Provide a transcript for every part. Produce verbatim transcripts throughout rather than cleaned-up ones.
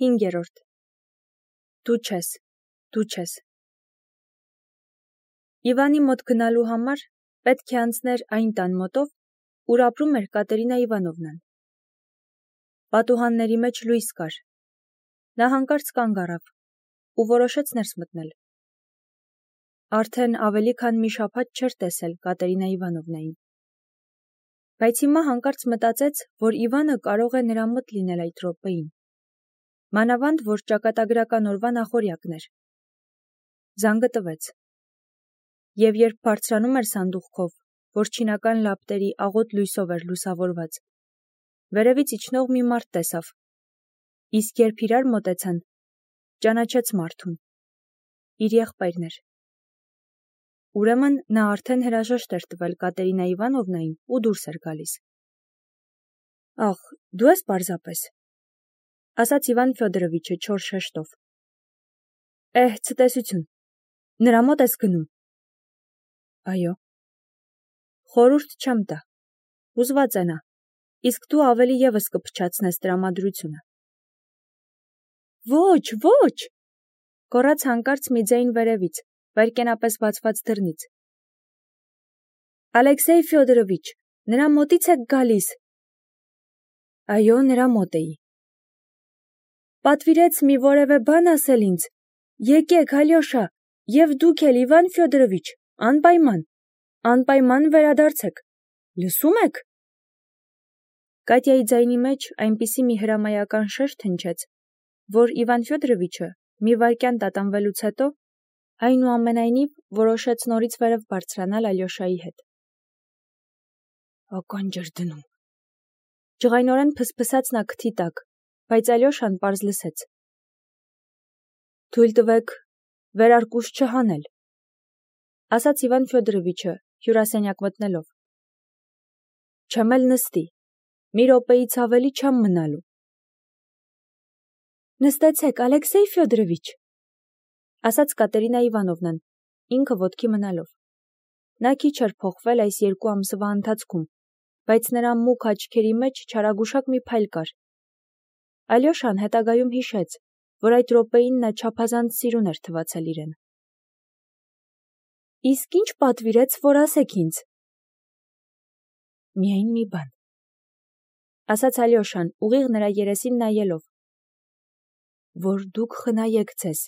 Հինգերորդ Դու չես, դու չես։ Իվանի մոտ գնալու համար պետք է անցներ այն տան մոտով, ուր ապրում էր Կատերինա Իվանովնան։ Պատուհանների մեջ լույս կար։ Նա հանկարծ կանգ առավ ու որոշեց ներս մտնել։ Արդեն ավելի քան մի շաբաթ չէր տեսել Կատերինա Իվանովնային։ Բայց հիմա հանկարծ մտածեց, որ Իվանը կարող է նրա մոտ լինել այդ րոպեին։ Մանավանդ, որ ճակատագրական օրվա նախօրյակն էր։ Զանգը տվեց։ Եվ երբ բարձրանում էր սանդուղքով, որ չինական լապտերի աղոտ լույսով էր լուսավորված, վերևից իջնող մի մարդ տեսավ։ Իսկ երբ իրար մոտեցան, ճանաչեց մարդուն։ Իր եղբայրն էր։ Ուրեմն նա արդեն հրաժեշտ էր տվել Կատերինա Իվանովնային ու դուրս էր գալիս։ Ախ, դու ես պարզապես, ասաց Իվան Ֆյոդորովիչը չոր շեշտով։ Էհ, ցտեսություն, նրա մոտ ես գնում։ Այո։ Խորհուրդ չեմ տա, հուզված է նա, իսկ դու ավելի ևս կփչացնես տրամադրությունը։ Ոչ, ոչ, գոռաց հանկարծ մի ձայն վերևից, վայրկենապես բացված դռնից։ Ալեքսեյ Ֆյոդորովիչ, նրա մոտից եք գալիս։ Այո, նրա մոտ էի։ Պատվիրեց մի որևէ բան ասել ինձ։ Եկեք, Ալյոշա, եւ դուք էլ Իվան Ֆյոդորովիչ, անպայման, անպայման վերադարձեք։ Լսում եք։ Կատյայի ձայնի մեջ այնպիսի մի հրամայական շերտ հնչեց, որ Իվան Ֆյոդորովիչը մի վայրկյան տատանվելուց հետո այնուամենայնիվ որոշեց նորից վերև բարձրանալ Ալյոշայի հետ։ Ականջ էր դնում։ Ջղայնորեն փսփսաց նա քթի տակ, բայց Ալյոշան պարզ լսեց։ Թույլ տվեք վերարկուս չհանել, ասաց Իվան Ֆյոդորովիչը հյուրասենյակ մտնելով։ Չեմ էլ նստի, մի րոպեից ավելի չեմ մնալու։ Նստեցեք, Ալեքսեյ Ֆյոդորովիչ, ասաց Կատերինա Իվանովնան, ինքը ոտքի մնալով։ Նա քիչ էր փոխվել այս երկու ամսվա ընթացքում, բայց նրա մուգ աչքերի մեջ չարագուշակ մի փայլ կար։ Ալյոշան հետագայում հիշեց, որ այդ րոպեին նա չափազանց սիրուն էր թվացել իրեն։ Իսկ ինչ պատվիրեց, որ ասեք ինձ։ Միայն մի բան, ասաց Ալյոշան, ուղիղ նրա երեսին նայելով, որ դուք խնայեք ձեզ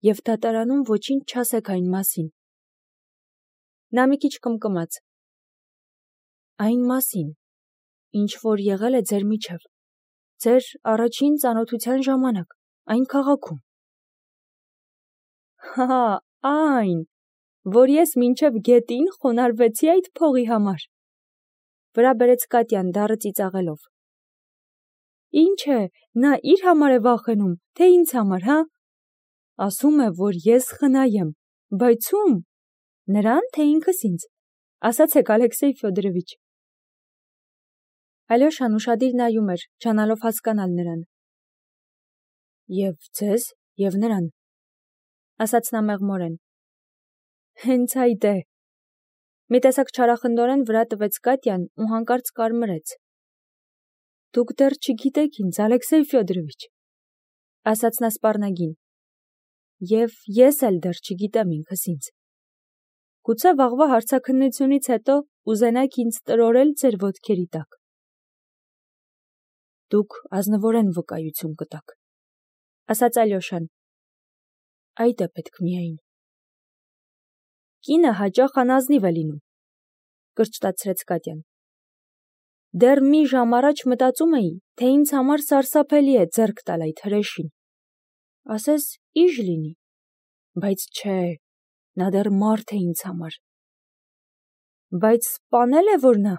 և դատարանում ոչինչ չասեք այն մասին։ Նա մի քիչ կմկմաց։ Այն մասին, ինչ որ եղել է ձեր միջև, ձեր առաջին ծանոթության ժամանակ, այն քաղաքում։ Հա, այն, որ ես մինչև գետին խոնարհվեցի այդ փողի համար, վրա բերեց Կատյան դառը ծիծաղելով։ Ինչ է, նա իր համար է վախենում, թե ինձ համար, հա։ Ասում է, որ ես խնայ եմ, բայց ում, նրան, թե ինքս ինձ, ասացեք, Ալեքսեյ Ֆյոդորովիչ։ Ալյոշան ուշադիր նայում էր, ջանալով հասկանալ նրան։ Եվ ձեզ, և նրան, ասաց նա մեղմորեն։ Հենց այդ է։ Մի տեսակ չարախնդորեն վրա տվեց Կատյան ու հանկարծ կարմրեց։ Դուք դեռ չգիտեք ինձ, Ալեքսեյ Ֆյոդորովիչ, ասաց նա սպառնագին, և ես էլ դեռ չգիտեմ ինքս ինձ։ Գուցե վաղվա հարցաքննությունից հետո ուզենաք ինձ տրորել ձեր ոտքերի տակ։ Դուք ազնվորեն վկայություն կտաք, ասաց Ալյոշան։ Այդ է պետք միայն։ Կինը հաճախ անազնիվ է լինում, կրճտացրեց Կատյան։ Դեռ մի ժամ առաջ մտածում էի, թե ինձ համար սարսափելի է ձեռք տալ այդ հրեշին։ Ասես իժ լինի, բայց չէ, նա դեռ մարդ է ինձ համար։ Բայց սպանել է, որ նա,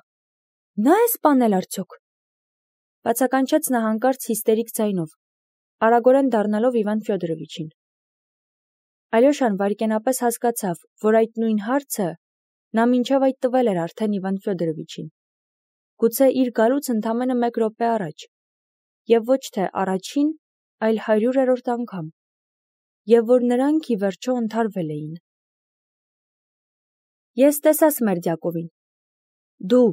նա է սպանել արդյոք։ Բացականչեց նա հանկարծ հիստերիկ ձայնով, արագորեն դառնալով Իվան Ֆյոդորովիչին։ Ալյոշան վայրկենապես հասկացավ, որ այդ նույն հարցը նա մինչև այդ տվել էր արդեն Իվան Ֆյոդորովիչին։ Գուցե իր գալուց ընդամենը մեկ րոպե առաջ, և ոչ թե առաջին, այլ հարյուրերորդ անգամ, և որ նրանք ի վերջո ընդհարվել էին։ Ես տեսա Սմերդյակովին։ Դու,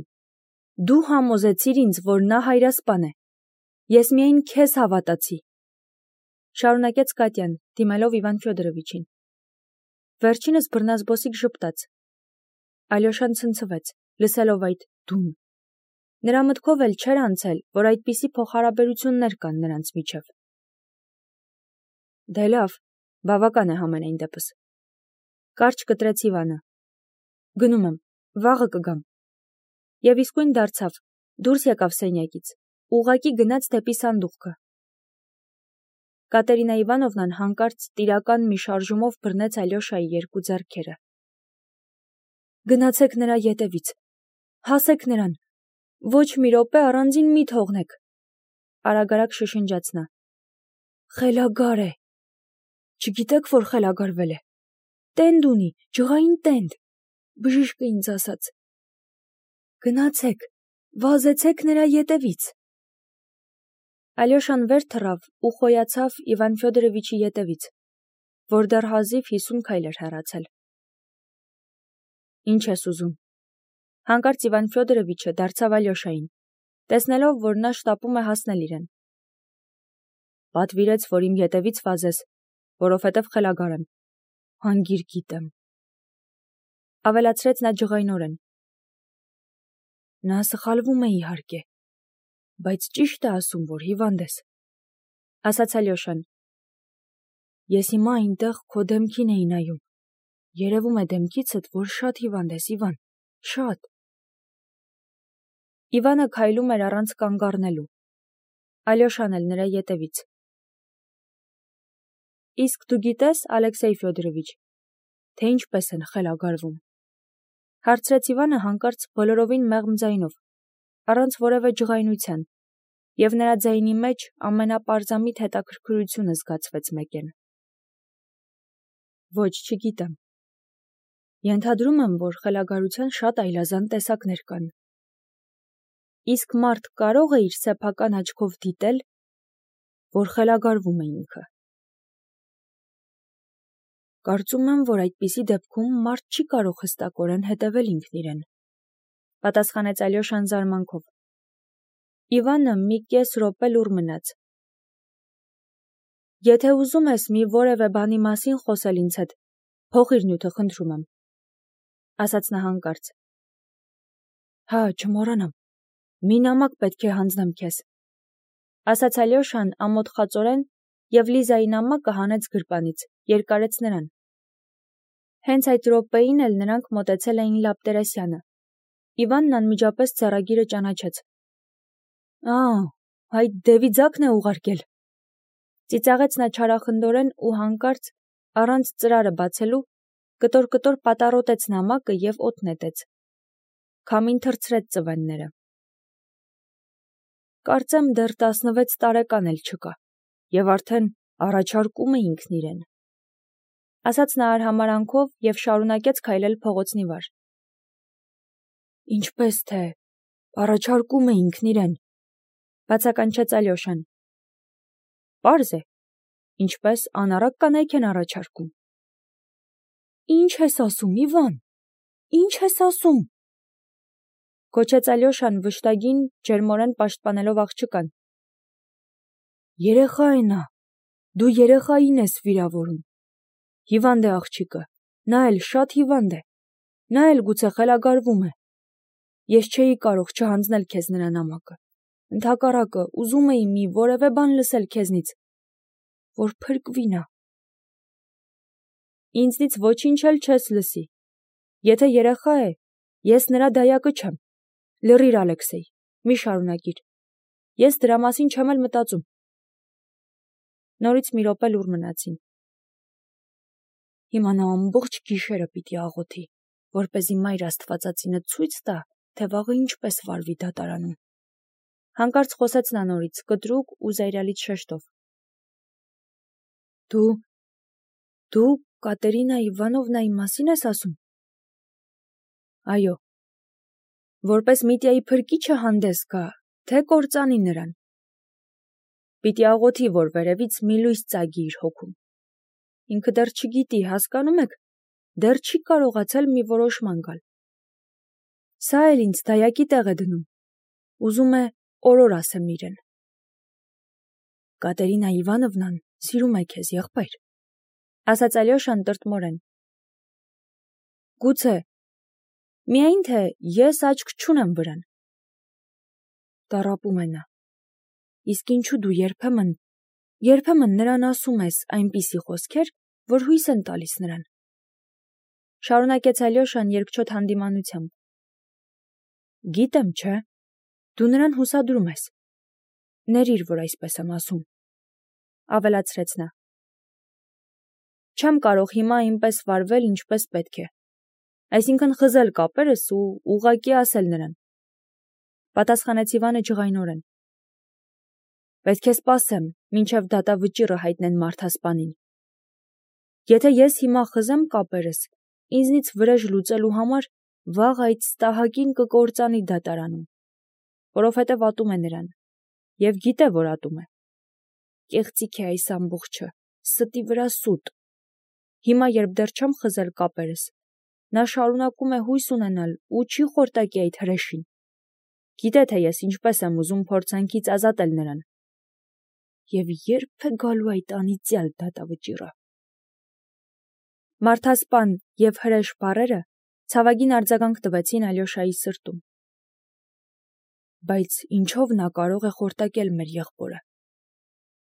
դու համոզեցիր ինձ, որ նա հայրասպան է։ Ես միայն քեզ հավատացի։ Շարունակեց Կատյան, դիմելով Իվան Ֆյոդորովիչին։ Վերջինս բռնազբոսիկ ժպտաց։ Ալյոշան ցնցվեց, լսելով այդ դուն։ Նրա մտքով էլ չէր անցել, որ այդպիսի փոխհարաբերություններ կան նրանց միջև։ Դե լավ, բավական է համենայն դեպս։ Կարճ կտրեց Իվանը։ Գնում եմ, վաղը կգամ։ Եվ իսկույն դարձավ, դուրս եկավ սենյակից, ուղղակի գնաց դեպի սանդուղքը։ Կատերինա Իվանովնան հանկարծ տիրական մի շարժումով բռնեց Ալյոշայի երկու ձեռքերը։ Գնացեք նրա ետևից, հասեք նրան, ոչ մի րոպե առանձին մի թողնեք, արագարակ շշնջաց նա։ Խելագար է։ Չգիտեք, որ խելագարվել է։ Տենդ ունի, ջղային տենդ, բժիշկը ինձ ասաց։ Գնացեք, վազեցեք նրա ետևից։ Ալյոշան վեր թռավ ու խոյացավ Իվան Ֆյոդորովիչի ետևից, որ դեռ հազիվ հիսուն քայլ էր հեռացել։ Ինչ ես ուզում։ Հանկարծ Իվան Ֆյոդորովիչը դարձավ Ալյոշային, տեսնելով, որ նա շտապում է հասնել իրեն։ Պատվիրեց, որ իմ ետևից վազես, որովհետև խելագար եմ, հանգիր գիտեմ։ Ավելացրեց նա ջղայնորեն։ Նա սխալվում է իհարկե, բայց ճիշտ է ասում, որ հիվանդ ես, ասաց Ալյոշան։ Ես հիմա այնտեղ քո դեմքին էի նայում, երևում է դեմքիցդ, որ շատ հիվանդ ես, Իվան, շատ։ Իվանը քայլում էր առանց կանգ առնելու, Ալյոշան էլ նրա ետևից։ Իսկ դու գիտես, Ալեքսեյ Ֆյոդորովիչ, թե ինչպես են խելագարվում, հարցրեց Իվանը հանկարծ բոլորովին մեղմ ձայնով, առանց որևէ ջղայնության, և նրա ձայնի մեջ ամենապարզամիտ հետաքրքրությունը զգացվեց մեկեն։ Ոչ, չգիտեմ։ Ենթադրում եմ, որ խելագարության շատ այլազան տեսակներ կան։ Իսկ մարդ կարող է իր սեփական աչքով դիտել, որ խելագարվում է ինքը։ Կարծում եմ, որ այդպիսի դեպքում մարդ չի կարող հստակորեն հետևել ինքն իրեն, պատասխանեց Ալյոշան զարմանքով։ Իվանը մի կես րոպե լուռ մնաց։ Եթե ուզում ես մի որևէ բանի մասին խոսել ինձ հետ, փոխիր նյութը, խնդրում եմ, ասաց նա հանկարծ։ Հա, չմոռանամ, մի նամակ պետք է հանձնեմ քեզ, ասաց Ալյոշան ամոթխածորեն և Լիզայի նամակը հանեց գրպանից, երկարեց նրան։ Հենց այդ րոպեին էլ նրանք մոտեցել էին Լապտերեսյանը։ Իվանն անմիջապես ձեռագիրը ճանաչեց։ Ա, այդ Դևիձակն է ուղարկել։ Ծիծաղեց նա չարախնդորեն ու հանկարծ, առանց ծրարը բացելու, կտոր-կտոր պատառոտեց նամակը և օդ նետեց։ Քամին թռցրեց ծվենները։ Կարծեմ դեռ տասնվեց տարեկան էլ չկա, և արդեն առաջարկում է ինքն իրեն, ասաց նա արհամարանքով և շարունակեց քայլել փողոցնի վար։ Ինչպես թե, առաջարկում է ինքն իրեն, բացականչեց Ալյոշան։ Պարզ է, ինչպես անառակ կանայք են առաջարկում։ Ինչ ես ասում, Իվան, ինչ ես ասում, գոչեց Ալյոշան վշտագին ջերմորեն պաշտպանելով աղջկան։ Երեխա է նա, դու երեխային ես վիրավորում։ Հիվանդ է աղջիկը, նա էլ շատ հիվանդ է, նա էլ գուցե խելագարվում է։ Ես չէի կարող չհանձնել քեզ նրա նամակը, ընդհակառակը ուզում էի մի որևէ բան լսել քեզնից, որ փրկվի նա։ Ինձնից ոչինչ էլ չես լսի։ Եթե երեխա է, ես նրա դայակը չեմ։ Լռիր, Ալեքսեյ, մի շարունակիր։ Ես դրա մասին չեմ էլ մտածում։ Նորից մի րոպե լուռ մնացին։ Հիմա նա ամբողջ գիշերը պիտի աղոթի, որպեսզի Մայր Աստվածածինը ցույց տա, թե վաղը ինչպես վարվի դատարանում։ Հանկարծ խոսեց նա նորից, կտրուկ ու զայրալից շեշտով։ Դու, դու Կատերինա Իվանովնայի մասին ես ասում։ Այո, որպես Միտյայի փրկիչը հանդես գա, թե կործանի նրան։ Պիտի աղոթի, որ վերևից մի լույս ծագի իր հոգում։ Ինքը դեռ չգիտի, հասկանում եք, դեռ չի կարողացել մի որոշման գալ։ Սա էլ ինձ դայակի տեղ է դնում։ Ուզում է օրոր ասեմ իրեն։ Կատերինա Իվանովնան Սիրում է քեզ, եղբայր, ասաց Ալյոշան տրտմորեն։ Գուցե, միայն թե ես աչք չունեմ վրան։ Տառապում է նա։ Իսկ ինչու դու երբեմն, երբեմն նրան ասում ես այնպիսի խոսքեր, որ հույս են տալիս նրան։ Շարունակեց Ալյոշան երկչոտ հանդիմանությամբ։ Գիտեմ, չէ, դու նրան հուսադրում ես։ Ներիր, որ այսպես եմ ասում, ավելացրեց նա։ Չեմ կարող հիմա այնպես վարվել, ինչպես պետք է, այսինքն խզել կապերս ու ուղղակի ասել նրան, պատասխանեց Իվանը ջղայնորեն։ Պետք է սպասեմ, մինչև դատավճիռը հայտնեն մարդասպանին։ Եթե ես հիմա խզեմ կապերս, ինձնից վրեժ լուծելու համար վաղ այդ ստահակին կկործանի դատարանում, որովհետև ատում է նրան, և գիտե, որ ատում է։ Կեղծիք է այս ամբողջը, ստի վրա սուտ։ Հիմա, երբ դեռ չեմ խզել կապերս, նա շարունակում է հույս ունենալ ու չի խորտակի այդ հրեշին։ Գիտե, թե ես ինչպես եմ ուզում փորձանքից ազատել նրան։ Եվ երբ է գալու այդ անիծյալ դատավճիռը։ Մարդասպան և հրեշ բառերը ցավագին արձագանք տվեցին Ալյոշայի սրտում։ Բայց ինչով նա կարող է խորտակել մեր եղբորը,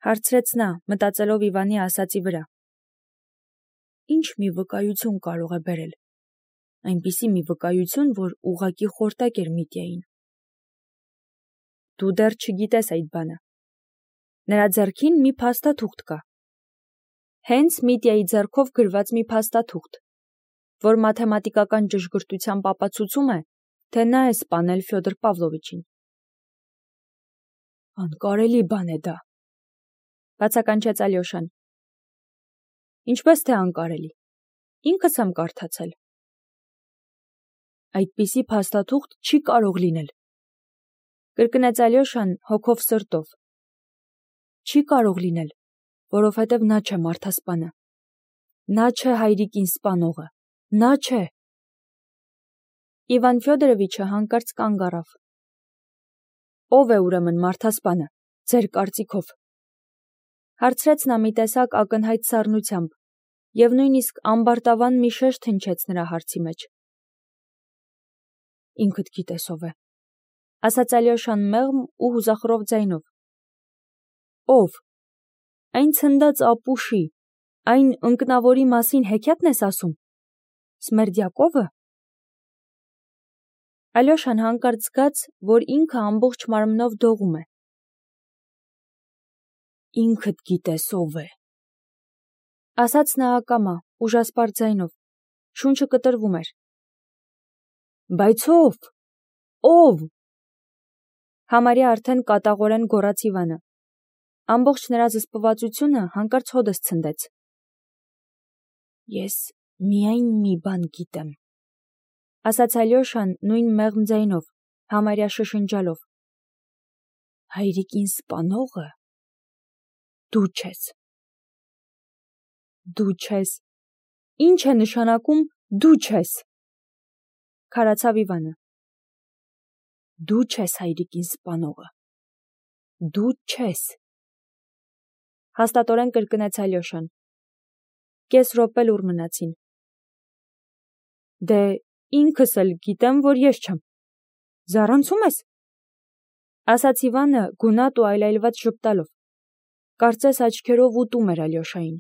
հարցրեց նա, մտածելով Իվանի ասածի վրա։ Ինչ մի վկայություն կարող է բերել, այնպիսի մի վկայություն, որ ուղղակի խորտակեր Միտյային։ Դու դեռ չգիտես այդ բանը։ Նրա ձեռքին մի փաստաթուղթ կա։ Հենց Միտյայի ձեռքով գրված մի փաստաթուղթ, որ մաթեմատիկական ճշգրտությամբ ապացուցում է, թե նա է սպանել Ֆյոդոր Պավլովիչին։ Անկարելի բան է դա, բացականչեց Ալյոշան։ Ինչպես թե անկարելի, ինքս եմ կարդացել։ Այդպիսի փաստաթուղթ չի կարող լինել, կրկնեց Ալյոշան հոգով սրտով։ Չի կարող լինել, որովհետև նա չէ մարդասպանը։ Նա չէ հայրիկին սպանողը, նա չէ։ Իվան Ֆյոդորովիչը հանկարծ կանգ առավ։ Ո՞վ է ուրեմն մարդասպանը, ձեր կարծիքով, հարցրեց նա մի տեսակ ակնհայտ սառնությամբ, և նույնիսկ ամբարտավան մի շեշտ հնչեց նրա հարցի մեջ։ Ինքդ գիտես ով է, ասաց Ալյոշան մեղմ ու հուզախռով ձայնով։ Ով։ Այն ցնդած ապուշի, այն ընկնավորի մասին հեքիաթն ես ասում։ Սմերդյակովը։ Ալյոշան հանկարծ զգաց, որ ինքը ամբողջ մարմնով դողում է։ Ինքդ գիտես ով է, ասաց նա ակամա, ուժասպառ ձայնով, շունչը կտրվում էր։ Բայց ով, ով։ Համարյա արդեն կատաղորեն գոռաց Իվանը։ Ամբողջ նրա զսպվածությունը հանկարծ հոդս ցնդեց։ Ես միայն մի բան գիտեմ, ասաց Ալյոշան նույն մեղմ ձայնով, համարյա շշնջալով։ Հայրիկին սպանողը դու չես։ Դու չես։ Ինչ է նշանակում դու չես։ Քարացավ Իվանը։ Դու չես հայրիկին սպանողը։ Դու չես։ Հաստատորեն կրկնեց Ալյոշան։ Կես րոպե լուռ մնացին։ Դե ինքս էլ գիտեմ, որ ես չեմ։ Զառանցում ես, ասաց Իվանը գունատ ու այլայլված ժպտալով։ Կարծես աչքերով ուտում էր Ալյոշային։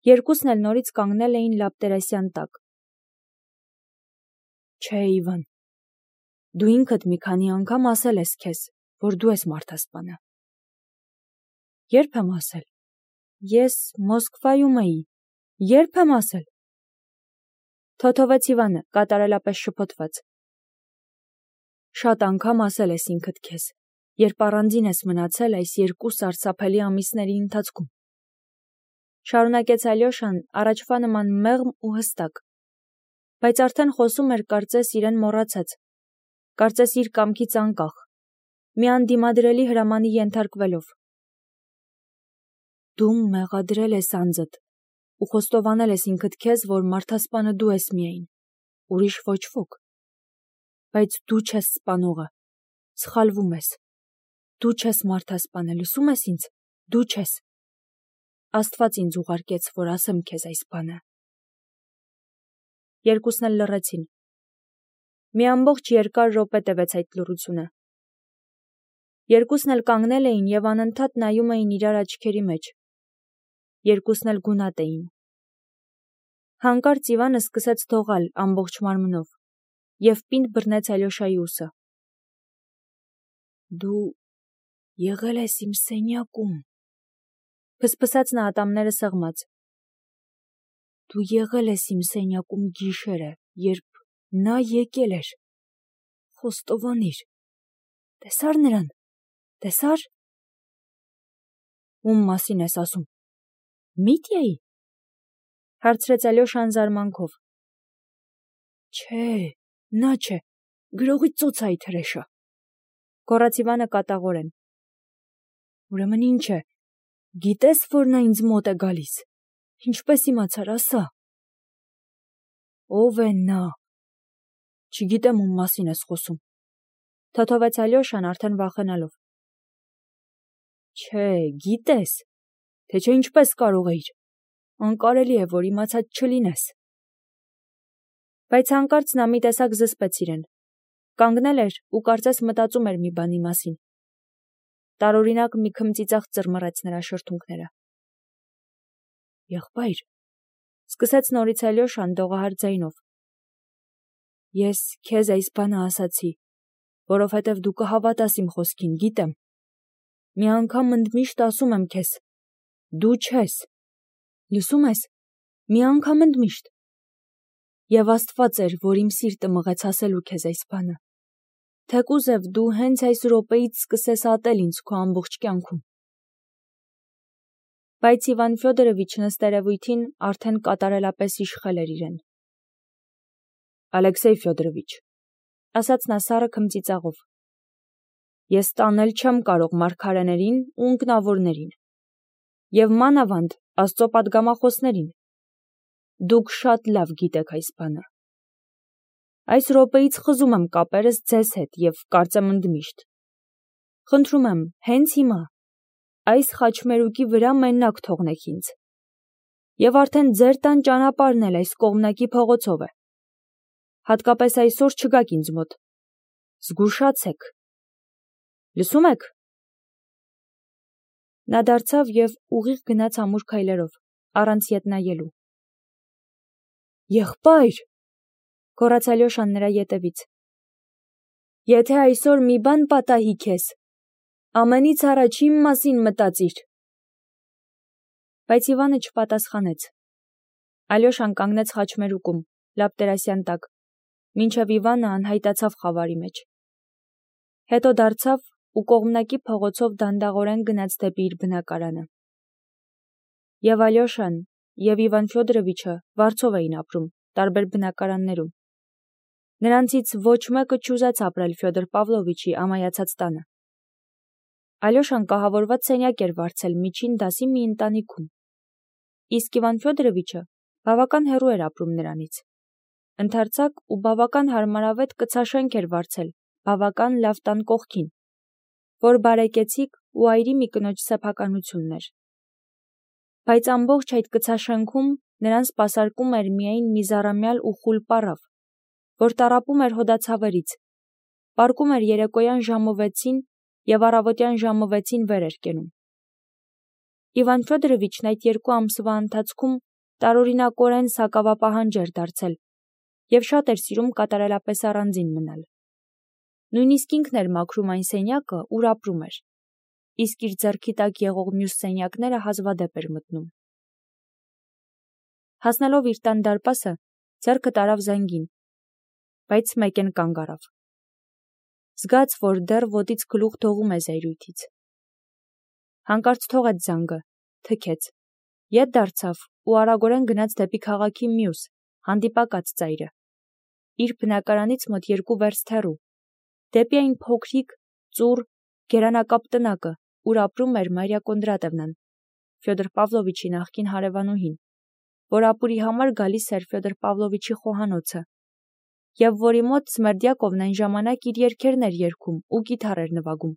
Երկուսն էլ նորից կանգնել էին լապտերասյան տակ։ Չէ, Իվան, դու ինքդ մի քանի անգամ ասել ես քեզ, որ դու ես մարդասպանը։ Երբ եմ ասել։ Ես Մոսկվայում էի։ Երբ եմ ասել։ Թոթովեց Իվանը, կատարելապես շփոթված։ Շատ անգամ ասել ես ինքդ քեզ, երբ առանձին ես մնացել այս երկու սարսափելի ամիսների ընթացքում։ Շարունակեց Ալյոշան առաջվա նման մեղմ ու հստակ, բայց արդեն խոսում էր կարծես իրեն մոռացած, կարծես իր կամքից անկախ, մի անդիմադրելի հրամանի ենթարկվելով։ Դու մեղադրել ես անձդ ու խոստովանել ես ինքդ քեզ, որ մարդասպանը դու ես միայն, ուրիշ ոչ ոք։ Բայց դու չես սպանողը, սխալվում ես։ Դու չես մարդասպանը, լսում ես ինձ, դու չես։ Աստված ինձ ուղարկեց, որ ասեմ քեզ այս բանը։ Երկուսն էլ լռեցին։ Մի ամբողջ երկար րոպե տևեց այդ լռությունը։ Երկուսն էլ կանգնել էին և անընդհատ նայում էին իրար աչքերի մեջ։ Երկուսն էլ գունատ էին։ Հանկարծ Իվանը սկսեց դողալ ամբողջ մարմնով և պինդ բռնեց Ալյոշայի ուսը։ Դու եղել ես իմ սենյակում, փսփսաց նա ատամները սեղմած։ Դու եղել ես իմ սենյակում գիշերը, երբ նա եկել էր։ Խոստովանիր։ Տեսա՞ր նրան։ Տեսա՞ր։ Ում մասին ես ասում։ Միտյայի։ Հարցրեց Ալյոշան զարմանքով։ Չէ, նա չէ, գրողի ծոցը այդ հրեշը։ Գոռաց Իվանը կատաղորեն։ Ուրեմն ինչ է, գիտես, որ նա ինձ մոտ է գալիս։ Ինչպես իմացար, ասա։ Ով է նա։ Չգիտեմ ում մասին ես խոսում։ Թոթովեց Ալյոշան արդեն վախենալով։ Չէ, գիտես, թե չէ ինչպես կարող էիր։ Անկարելի է, որ իմացած չլինես։ Բայց հանկարծ նա մի տեսակ զսպեց իրեն։ Կանգնել էր ու կարծես մտածում էր մի բանի մասին։ Տարօրինակ մի քմծիծաղ ծռմռեց նրա շրթունքները։ Եղբայր, սկսեց նորից Ալյոշան դողահար ձայնով։ Ես քեզ այս բանը ասացի, որովհետև դու կհավատաս իմ խոսքին, գիտեմ։ Մի անգամ ընդմիշտ ասում եմ քեզ, դու չես։ Լսում ես, մի անգամ ընդմիշտ։ Եվ Աստված էր, որ իմ սիրտը մղեց ասելու քեզ այս բանը։ Թեկուզև դու հենց այս րոպեից սկսես ատել ինձ քո ամբողջ կյանքում։ Բայց Իվան Ֆյոդորովիչն ըստ երևույթին արդեն կատարելապես իշխել էր իրեն։ Ալեքսեյ Ֆյոդորովիչ, ասաց նա սառը քմծիծաղով, ես տանել չեմ կարող մարգարեներին ու ընկնավորներին, և մանավանդ Աստծո պատգամախոսներին։ Դուք շատ լավ գիտեք այս բանը։ Այս րոպեից խզում եմ կապերս ձեզ հետ և կարծեմ ընդմիշտ։ Խնդրում եմ, հենց հիմա, այս խաչմերուկի վրա մենակ թողնեք ինձ։ Եվ արդեն ձեր տան ճանապարհն էլ այս կողմնակի փողոցով է։ Հատկապես այսօր չգաք ինձ մոտ։ Զգուշացեք։ Լսում եք։ Նա դարձավ և ուղիղ գնաց ամուր քայլերով, առանց ետ նայելու։ Եղբայր, գոռաց Ալյոշան նրա ետևից։ Եթե այսօր մի բան պատահի քեզ, ամենից առաջ իմ մասին մտածիր։ Բայց Իվանը չպատասխանեց։ Ալյոշան կանգնեց խաչմերուկում, լապտերասյան տակ, մինչև Իվանը անհայտացավ խավարի մեջ։ Հետո դարձավ ու կողմնակի փողոցով դանդաղորեն գնաց դեպի իր բնակարանը։ Եվ Ալյոշան, և Իվան Ֆյոդորովիչը վարձով էին ապրում, տարբեր բնակարաններում։ Նրանցից ոչ մեկը չուզեց ապրել Ֆյոդոր Պավլովիչի ամայացած տանը։ Ալյոշան կահավորված սենյակ էր վարձել միջին դասի մի ընտանիքում։ Իսկ Իվան Ֆյոդորովիչը բավական հեռու էր ապրում նրանից։ Ընդարձակ ու բավական հարմարավետ կցաշենք էր վարձել բավական լավ տան կողքին, որ բարեկեցիկ ու այրի մի կնոջ սեփականությունն էր։ Բայց ամբողջ այդ կցաշենքում նրան սպասարկում էր միայն մի զառամյալ ու խուլ պառավ, որ տառապում էր հոդացավերից, պառկում էր երեկոյան ժամը վեցին և առավոտյան ժամը վեցին վեր էր կենում։ Իվան Ֆյոդորովիչն այդ երկու ամսվա ընթացքում տարօրինակորեն սակավապահանջ էր դարձել և շատ էր սիրում կատարելապես առանձին մնալ։ Նույնիսկ ինքն էր մաքրում այն սենյակը, ուր ապրում էր, իսկ իր ձեռքի տակ եղող մյուս սենյակները հազվադեպ էր մտնում։ Հասնելով իր տան դարպասը, ձեռքը տարավ զանգին, բայց մեկեն կանգ առավ։ Զգաց, որ դեռ ոտից գլուխ դողում է զայրույթից։ Հանկարծ թողեց զանգը, թքեց, ետ դարձավ ու արագորեն գնաց դեպի քաղաքի մյուս, հանդիպակաց ծայրը, իր բնակարանից մոտ երկու վերստ հեռու, դեպի այն փոքրիկ, ծուռ, գերանակապ տնակը, ուր ապրում էր Մարիա Կոնդրատևնան, Ֆյոդոր Պավլովիչի նախկին հարևանուհին, որ ապուրի համար գալիս էր Ֆյոդոր Պավլովիչի խոհանոցը, և որի մոտ Սմերդյակովն այն ժամանակ իր երգերն էր երգում ու կիթառ էր նվագում։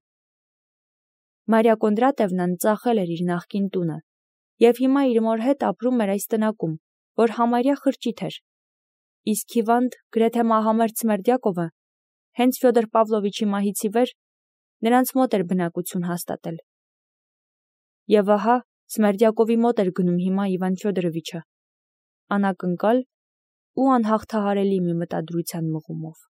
Մարիա Կոնդրատևնան ծախել էր իր նախկին տունը և հիմա իր մոր հետ ապրում էր այս տնակում, որ համարյա խրճիթ էր, իսկ հիվանդ, գրեթե մահամերձ Սմերդյակովը հենց Ֆյոդոր Պավլովիչի մահից ի վեր նրանց մոտ էր բնակություն հաստատել։ Եվ ահա Սմերդյակովի մոտ էր գնում հիմա Իվան Ֆյոդորովիչը, անակնկալ ու անհաղթահարելի մի մտադրության մղումով։